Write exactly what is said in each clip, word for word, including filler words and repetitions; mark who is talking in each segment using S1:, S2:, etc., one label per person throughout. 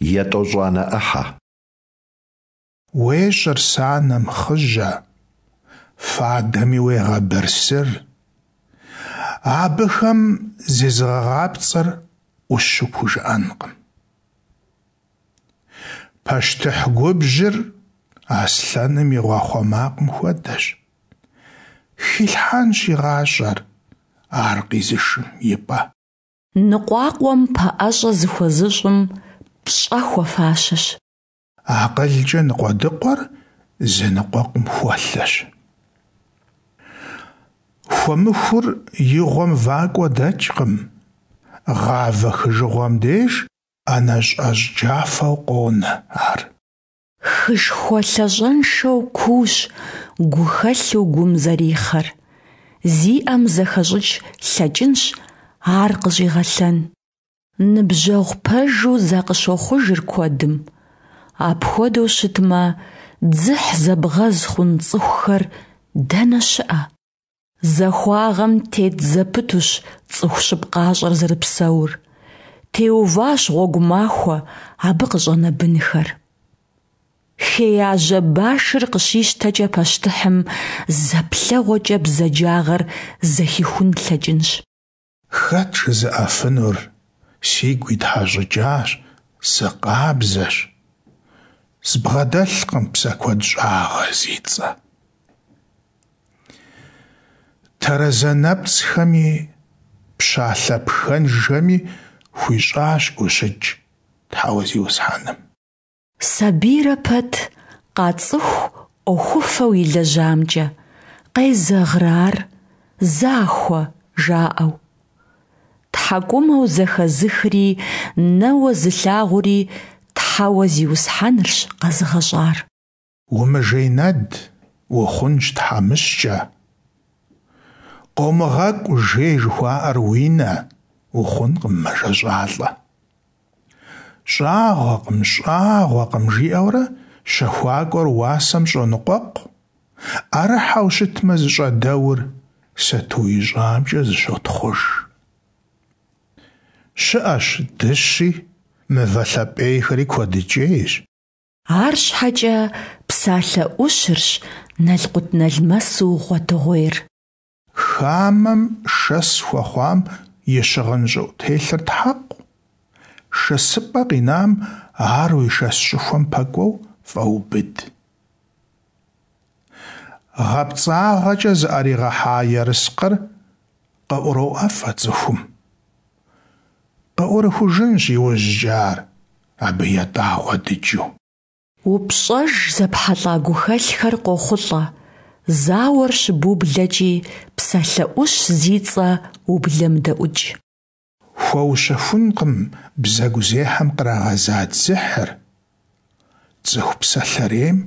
S1: Етӏощӏанэ ӏыхьэ.
S2: Уещӏыр санэм хъыжьэ, фадэми уегъэбырсыр. Абыхэм зезыгъэгъапцӏэр ӏущу пхужыӏэнкъым. Пащтыхь губжьыр аслъэным и гъуахъуэ макъым хуэдэщ. Хилъхьэнщ и гъащӏэр ар къизышым и пӏэ.
S3: Ныкъуакъуэм пэӏэщӏэ зыхуэзыщӏым пщӏэ хуэфащэщ.
S2: АкъылкӀэ ныкъуэдыкъуэр зэныкъуэкъум хуэлъэщ. Хуэмыхур и гъуэм вакӀуэ дэкӀкъым, гъавэ хыжыгъуэм деж ӀэнэщӀэщӀ джафэу къонэ ар.
S3: Хышхуэ лъащӀэншэу куущ гухэлъу гум зэрихъэр, зиӀэм зэхэщӀыкӀ лъэкӀынщ ар къыщӀигъэлъэн. Ныбжьэгъу пэжу закъыщохъужыр куэдым, апхуэдэу щытмэ, дзыхь зэбгъэз хъун цӀыхухэр дэнэ щыӀэ? Захуагъэм тет зэпытущ цӀыху щыпкъащӀэр зэрыпсэур, теуващ гъуэгу махуэ абы къыщӀэнэ бынхэр. Хеяжьэ башыр къыщищтэкӀэ пащтыхьым зэ плъэгъуэкӀэ бзаджагъэр зэхихун лъэкӀынщ.
S2: Хэт жызыӀэфынур: «Сигу итхьэщӀыкӀащ, сыкъабзэщ, збгъэдэлъкъым псэкӀуэдщӀагъэ зи цӀэ». Тэрэзэ нэпцӀхэми пщалъэ пхэнжхэми хуищӀащ гущыкӀ Тхьэуэ Зиусхьэным.
S3: Сабийрэ пэт къацӀыху Ӏуэхуфэу илэжьамкӀэ, къезэгърэ ар, захуэ, жаӀэу. ТхьэкӀумэу зэхэзыхри нэуэ зылъагъури Тхьэуэ Зиусхьэнырщ къэзыгъэщӀар.
S2: Умыжейнэд, ухъунщ тхьэмыщкӀэ. КъомыгъэкӀу жей жыхуаӀэр уи нэ, ухъункъым мэжэщӀалӀэ. ЩӀагъуэкъым, щӀагъуэкъым, жиӀэурэ щэхуакӀуэр уасэм щӀоныкъуэкъу, Ӏэрыхьэу щытмэ зыщӀэдэур, сату ищӀамкӀэ зыщотхъуж. ЩыӀэщ дыщи, мывэ лъапӀейхэри куэдыкӀейщ.
S3: АрщхьэкӀэ псалъэ Ӏущырщ налкъутналмэсу гъуэтыгъуейр.
S2: Хамэм шэс хуэхъуам и щыгъын щӀыӀутелъыр тхьэкъу, шэсыпӀэ къинам ар уи шэс щӀыхуэм пэкӀуэу фӀэубыд. ГъэпцӀагъэкӀэ зыӀэригъэхьа ерыскъыр къыӀуроӀэфӀэ цӀыхум. КъыӀурыхужынщ иужькӀэ ар, абы етӀагъуэ дыджу.
S3: УпщӀэж зэпхьэлӀа гухэлъхэр къохъулӀэ, зауэр щыбублэкӀи, псалъэ Ӏущ зи цӀэ ублэмыдэӀукӀ.
S2: Хуэущэхункъым бзэгузехьэм кърагъэза дзыхьыр, цӀыху псэлъэрейм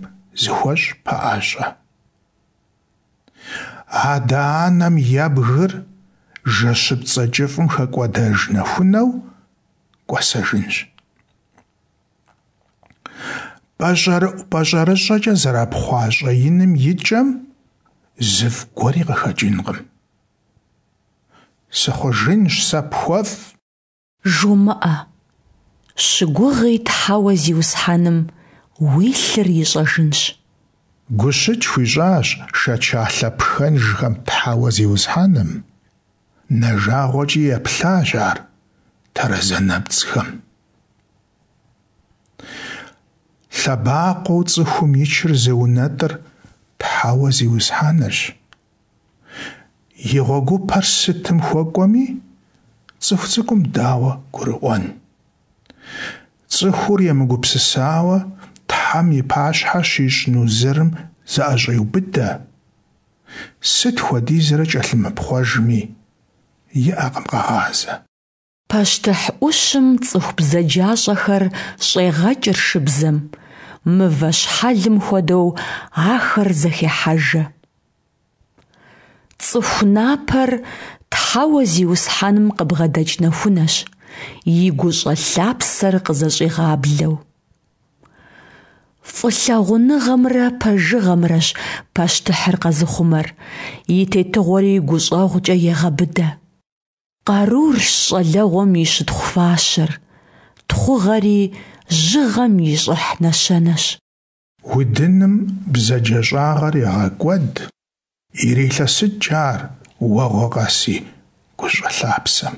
S2: зыхуэщӀ пэӀэщӀэ. Адэ-анэм ебгыр жэщыпцӀэ кӀыфӀым хэкӀуэдэж нэхунэу кӀуэсэжынщ. ПӀэщӀэрыӀу-пӀэщӀэрыщӀэкӀэ зэрапхъуа щӀэиным и кӀэм зыфӀ гуэри къыхэкӀынкъым. Сыхъужынщ сэ пхуэфӀ.
S3: ЖумыӀэ. Щыгугъи Тхьэуэ Зиусхьэным, уи лъыр ищӀэжынщ.
S2: ГущыкӀ хуищӀащ шэчалъэ пхэнжхэм Тхьэуэ Зиусхьэным, нэ жагъуэкӀи еплъащ Ар тэрэзэ нэпцӀхэм. Лъэбакъуэу цӀыхум ичыр зыунэтӀыр Тхьэуэ Зиусхьэнырщ. И гъуэгупэр сытым хуэкӀуэми, цӀыху цӀыкӀум дауэ гурыӀуэн? ЦӀыхур емыгупсысауэ Тхьэм и пащхьэ щищӀ нузырым зыӀэщӀеубыдэ, сыт хуэдизрэ кӀэлъымыпхъуэжми, иӀэкъым къэгъазэ.
S3: Пащтыхь Ӏущым цӀыху бзаджащӀэхэр щӀегъэкӀыр шыбзэм, мывэ щхьэлым хуэдэу ахэр зэхехьэжэ. ЦӀыху напэр Тхьэуэ Зиусхьэным къыбгъэдэкӀ нэхунэщ, и гущӀэ лъапсэр къызэщӀигъаблэу. ФӀылъагъуныгъэмрэ пэжыгъэмрэщ пащтыхьыр къэзыхъумэр, и тетыгъуэри гущӀэгъукӀэ егъэбыдэ. Къарурщ щӀалэгъуэм и щытхъу фащэр, тхъугъэри жьыгъэм и щӏыхь нэщэнэщ.
S2: Удыным бзаджэщӏагъэр егъэкӏуэд, ирелъэсыкӏ ар уэгъуэ къэси гущӏэ лъапсэм.